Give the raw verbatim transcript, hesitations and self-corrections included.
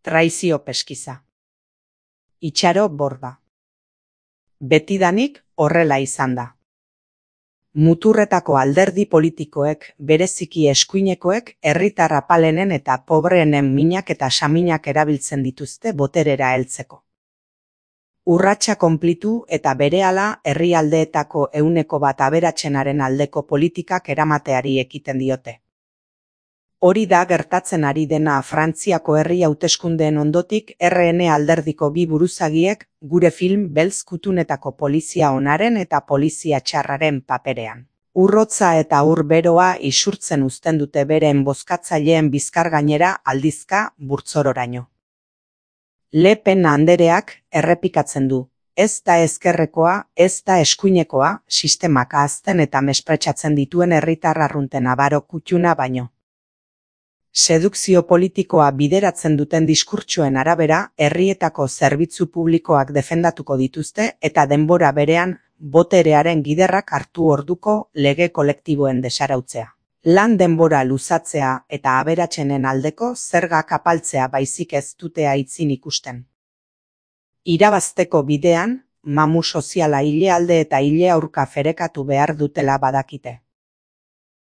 Traizio peskiza. Itxaro Borba. Betidanik horrela izan da. Muturretako alderdi politikoek, bereziki eskuinekoek, herritar apalenen eta pobreenen minak eta saminak erabiltzen dituzte boterera heltzeko. Urratsa konplitu eta berehala herrialdeetako ehuneko bat aberatsenaren aldeko politikak eramateari ekiten diote. Hori da gertatzen ari dena Frantziako herri hauteskundeen ondotik R N alderdiko bi buruzagiek gure film beltz kutunetako polizia onaren eta polizia txarraren paperean. Urrotza eta ur beroa isurtzen uzten dute beren bozkatzaileen bizkar gainera aldizka burtzororaino. Le Pen andereak errepikatzen du, ez da ezkerrekoa, ez da eskuinekoa, sistemak ahazten eta mespretxatzen dituen herritar arrunten abaro kutxuna baino. Sedukzio politikoa bideratzen duten diskurtsoen arabera, herrietako zerbitzu publikoak defendatuko dituzte eta denbora berean boterearen giderrak hartu orduko lege kolektiboen desarautzea. Lan denbora luzatzea eta aberatsenen aldeko zergak apaltzea baizik ez dute aitzin ikusten. Irabazteko bidean, mamu soziala ile alde eta ile aurka ferekatu behar dutela badakite.